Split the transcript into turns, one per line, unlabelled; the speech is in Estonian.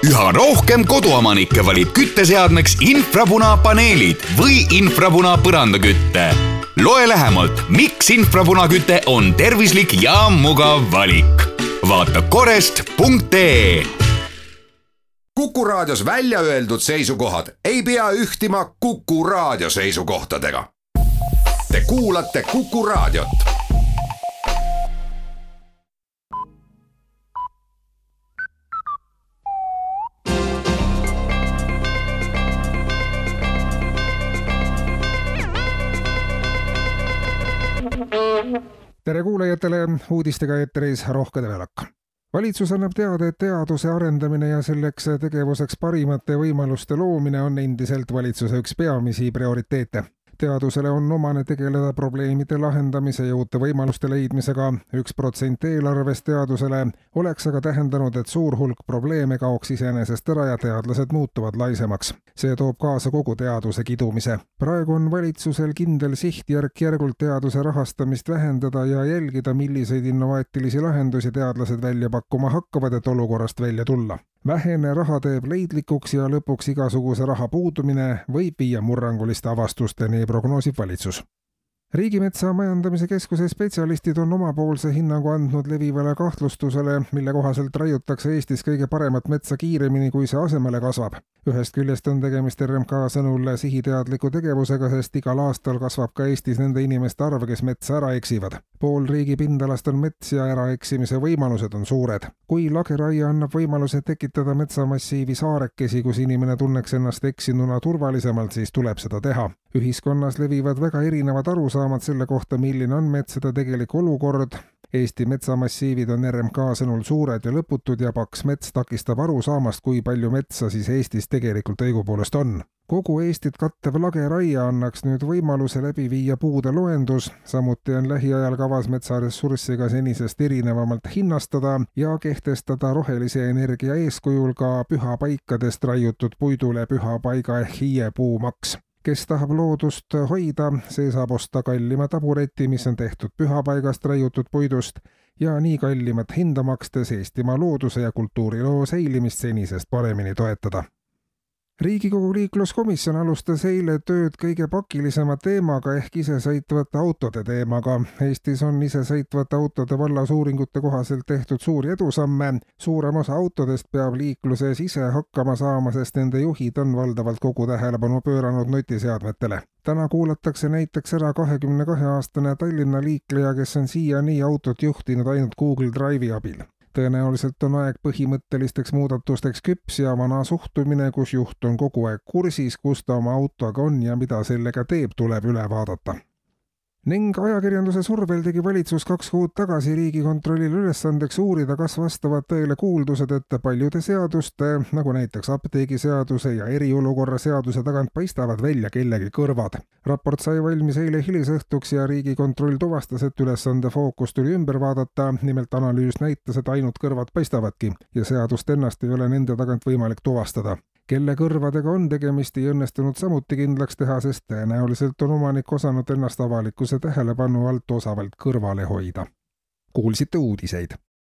Üha rohkem koduomanikke valib kütteseadmeks infrapunapaneelid või infrapuna põrandakütte. Loe lähemalt, miks infrapunaküte on tervislik ja mugav valik. Vaata korest.ee.
Kuku Raadios välja öeldud seisukohad ei pea ühtima Kuku Raadio seisukohtadega. Te kuulate Kuku Raadiot.
Tere kuulajatele, uudistega eetteris Rohke Develak. Valitsus annab teada, et teaduse arendamine ja selleks tegevuseks parimate võimaluste loomine on endiselt valitsuse üks peamisi prioriteete. Teadusele on omane tegeleda probleemide lahendamise ja uute võimaluste leidmisega. 1% eelarvest teadusele oleks aga tähendanud, et suur hulk probleeme kaoks iseenesest ära ja teadlased muutuvad laisemaks. See toob kaasa kogu teaduse kidumise. Praegu on valitsusel kindel siht järk-järgult teaduse rahastamist vähendada ja jälgida, milliseid innovaatilisi lahendusi teadlased välja pakkuma hakkavad, et olukorrast välja tulla. Vähene raha teeb leidlikuks ja lõpuks igasuguse raha puudumine võib viia murranguliste avastusteni, prognoosib valitsus. Riigimetsa majandamise keskuse spetsialistid on omapoolse hinnangu andnud levivale kahtlustusele, mille kohaselt raiutakse Eestis kõige paremat metsa kiiremini, kui see asemele kasvab. Ühest küljest on tegemist RMK sõnul sihiteadliku tegevusega, sest igal aastal kasvab ka Eestis nende inimeste arv, kes metsa ära eksivad. Pool riigi pindalast on mets ja äraeksimise võimalused on suured. Kui lageraie annab võimaluse tekitada metsamassiivi saarekesi, kus inimene tunneks ennast eksinuna turvalisemalt, siis tuleb seda teha. Ühiskonnas levivad väga erinevad arusaamad selle kohta, milline on metsade tegelik olukord. Eesti metsamassiivid on RMK sõnul suured ja lõputud ja paks mets takistab arusaamast, kui palju metsa siis Eestis tegelikult õigupoolest on. Kogu Eestit kattev lageraie annaks nüüd võimaluse läbi viia puude loendus, samuti on lähiajal kavas metsaressurssiga senisest erinevamalt hinnastada ja kehtestada rohelise energia eeskujul ka pühapaikadest raiutud puidule pühapaiga ehk hiiepuumaks. Kes tahab loodust hoida, see saab osta kallima tabureti, mis on tehtud pühapaigast raiutud puidust ja nii kallimat hinda makstes Eestimaa looduse ja kultuuriloo säilimist senisest paremini toetada. Riigikogu liikluskomisjon alustas eile tööd kõige pakilisema teemaga ehk isesõitvate autode teemaga. Eestis on isesõitvate autode vallas uuringute kohaselt tehtud suuri edusamme. Suurem osa autodest peab liikluses ise hakkama saama, sest nende juhid on valdavalt kogu tähelepanu pööranud nutiseadmetele. Täna kuulatakse näiteks ära 22-aastane Tallinna liikleja, kes on siiani autot juhtinud ainult Google Drive'i abil. Tõenäoliselt on aeg põhimõttelisteks muudatusteks küps ja vana suhtumine, kus juht on kogu aeg kursis, kus ta oma autoga on ja mida sellega teeb, tuleb üle vaadata. Ning ajakirjanduse survel tegi valitsus 2 kuud tagasi Riigikontrollile ülesandeks uurida, kas vastavad tõele kuuldused, et paljude seaduste, nagu näiteks apteegiseaduse ja eriolukorra seaduse tagant paistavad välja kellegi kõrvad. Raport sai valmis eile hilisõhtuks ja Riigikontroll tuvastas, et ülesande fookus tuli ümber vaadata, nimelt analüüs näitas, et ainult kõrvad paistavadki ja seadust ennast ei ole nende tagant võimalik tuvastada. Kelle kõrvadega on tegemist, ei õnnestunud samuti kindlaks teha, sest tõenäoliselt on omanik osanud ennast avalikkuse tähelepanu alt osavalt kõrvale hoida. Kuulsite uudiseid.